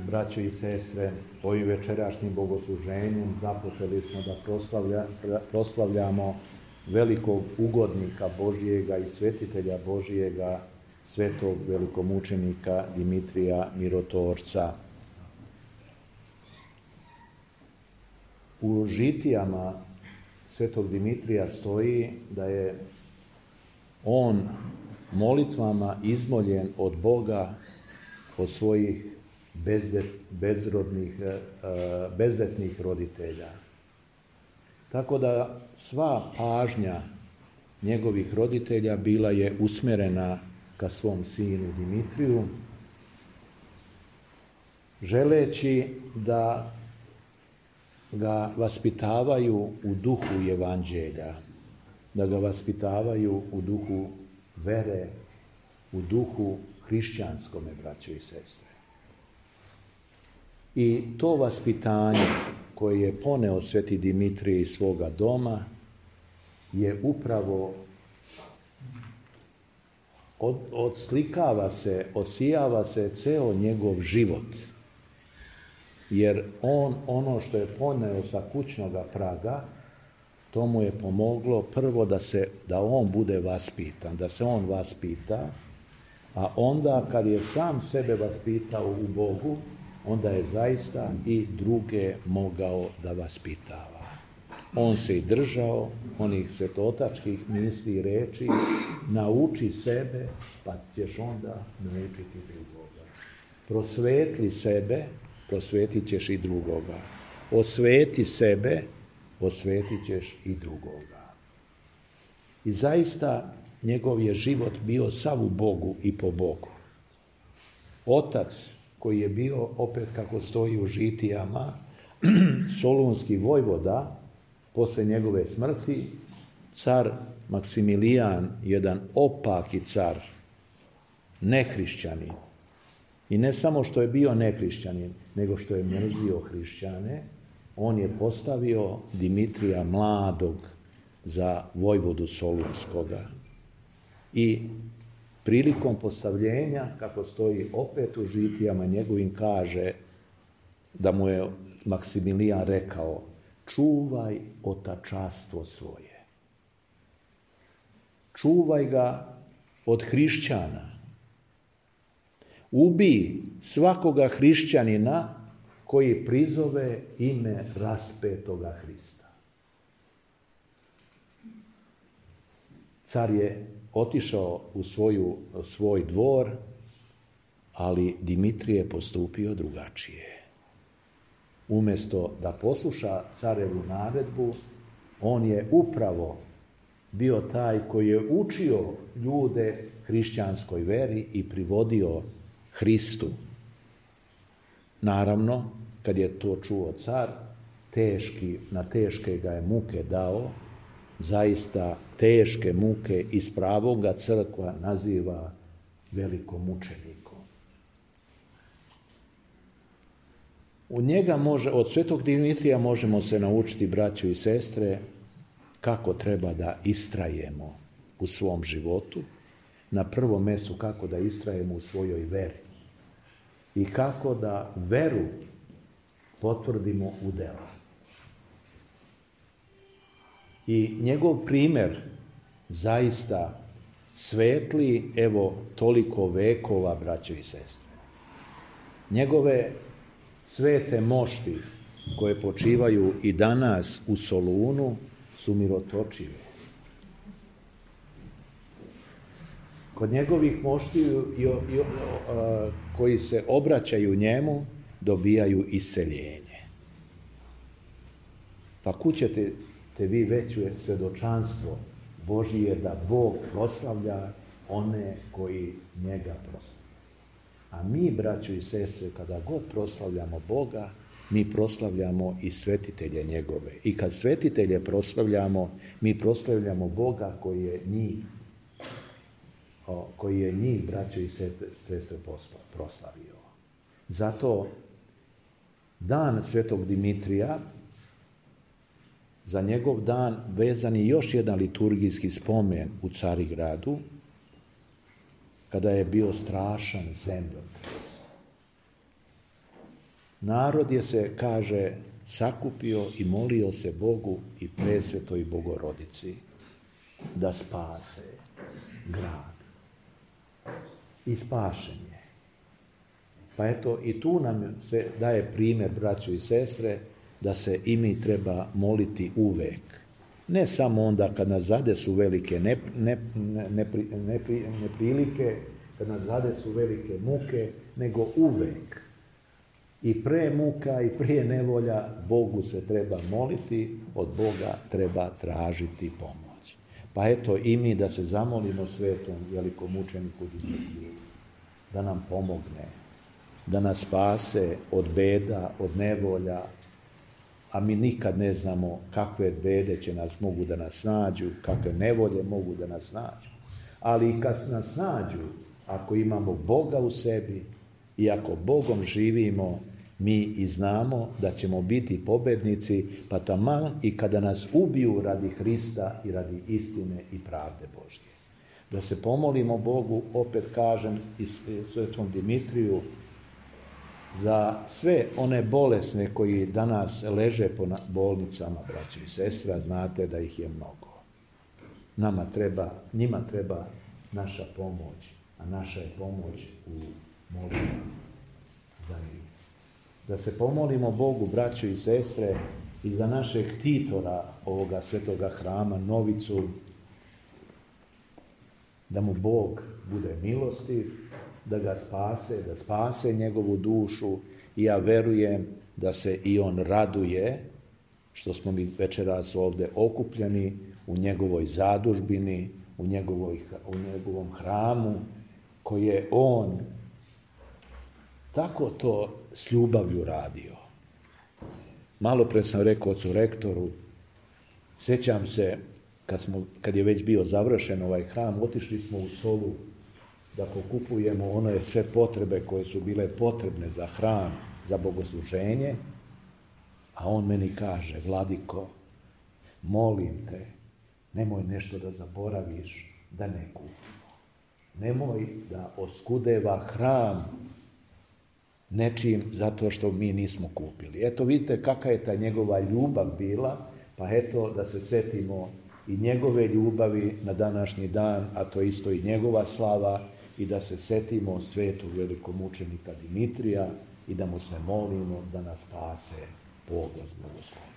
Braćo i sestre, ovim večerašnjim bogosluženjem započeli smo da proslavljamo velikog ugodnika Božijega i svetitelja Božijega, svetog velikomučenika Dimitrija Mirotvorca. U žitijama svetog Dimitrija stoji da je on molitvama izmoljen od Boga, od svojih bezdetnih roditelja. Tako da sva pažnja njegovih roditelja bila je usmjerena ka svom sinu Dimitriju, želeći da ga vaspitavaju u duhu evanđelja, da ga vaspitavaju u duhu vere, u duhu hrišćanskome, braćo i sestre. I to vaspitanje koje je poneo sveti Dimitrij iz svoga doma je upravo odslikava se, osijava se ceo njegov život. Jer on, ono što je poneo sa kućnoga praga, to mu je pomoglo prvo da on bude vaspitan, da se on vaspita, a onda kad je sam sebe vaspitao u Bogu, onda je zaista i druge mogao da vaspitava. On se i držao onih svetotačkih misli i reči, nauči sebe, pa ćeš onda naučiti drugoga. Prosvetli sebe, prosvetit ćeš i drugoga. Osveti sebe, osvetit ćeš i drugoga. I zaista njegov je život bio sav u Bogu i po Bogu. Otac koji je bio, opet kako stoji u žitijama, solunski vojvoda, posle njegove smrti, car Maksimilijan, jedan opaki car, nehrišćanin. I ne samo što je bio nehrišćanin, nego što je mrzio hrišćane, on je postavio Dimitrija mladog za vojvodu solunskoga. I prilikom postavljenja, kako stoji opet u žitijama njegovim, kaže da mu je Maksimilijan rekao: čuvaj otačastvo svoje. Čuvaj ga od hrišćana. Ubij svakoga hrišćanina koji prizove ime raspetoga Hrista. Car je otišao u svoj dvor, ali Dimitrij je postupio drugačije. Umjesto da posluša carevu naredbu, on je upravo bio taj koji je učio ljude hrišćanskoj veri i privodio Hristu. Naravno, kad je to čuo car, na teške ga je muke dao, zaista teške muke, iz pravoga crkva naziva velikomučenikom. Od svetog Dimitrija možemo se naučiti, braćo i sestre, kako treba da istrajemo u svom životu. Na prvom mjestu kako da istrajemo u svojoj veri i kako da veru potvrdimo u dela. I njegov primjer zaista svetli, evo, toliko vekova, braćo i sestre. Njegove svete mošti koje počivaju i danas u Solunu su mirotočive. Kod njegovih moštiju koji se obraćaju njemu dobijaju iseljenje. Pa kud ćete vi veće svjedočanstvo Božije da Bog proslavlja one koji njega proslavljaju. A mi, braćo i sestre, kada god proslavljamo Boga, mi proslavljamo i svetitelje njegove. I kad svetitelje proslavljamo, mi proslavljamo Boga koji je njih, braćo i sestre, proslavio. Zato dan svetog Dimitrija, za njegov dan vezan je još jedan liturgijski spomen u Carigradu, kada je bio strašan zemljotres. narod je se, kaže, sakupio i molio se Bogu i Presvetoj Bogorodici da spase grad. I spašen je. Pa eto, i tu nam se daje primjer, braćo i sestre, da se i mi treba moliti uvek. Ne samo onda kad nas zadesu velike neprilike, kad nas zadesu velike muke, nego uvek. I pre muka i prije nevolja Bogu se treba moliti, od Boga treba tražiti pomoć. Pa eto i mi da se zamolimo svetom velikomučeniku Dimitriju, da nam pomogne, da nas spase od beda, od nevolja, a mi nikad ne znamo kakve bede mogu da nas nađu, kakve nevolje mogu da nas nađu. Ali i kad nas nađu, ako imamo Boga u sebi i ako Bogom živimo, mi i znamo da ćemo biti pobednici, pa taman i kada nas ubiju radi Hrista i radi istine i pravde Božje. Da se pomolimo Bogu, opet kažem, i svetom Dimitriju, za sve one bolesne koji danas leže po bolnicama, braćo i sestra, znate da ih je mnogo. Njima treba naša pomoć, a naša je pomoć u molitvi za njih. Da se pomolimo Bogu, braćo i sestre, i za našeg ktitora ovoga svetoga hrama, Novicu, da mu Bog bude milostiv, da ga spase, da spase njegovu dušu, i ja verujem da se i on raduje što smo mi večeras ovdje okupljeni u njegovoj zadužbini, u njegovom hramu, koji je on tako to s ljubavlju radio. Malo pre sam rekao ocu rektoru, sjećam se kad je već bio završen ovaj hram, otišli smo u Solu da pokupujemo one sve potrebe koje su bile potrebne za hram, za bogosluženje, a on meni kaže, Vladiko, molim te, nemoj nešto da zaboraviš, da ne kupimo. Nemoj da oskudeva hram nečim zato što mi nismo kupili. Eto vidite kakva je ta njegova ljubav bila, pa eto da se setimo i njegove ljubavi na današnji dan, a to isto i njegova slava, i da se setimo svetog velikomučenika Dimitrija i da mu se molimo da nas spase, Bog vas blagoslovi.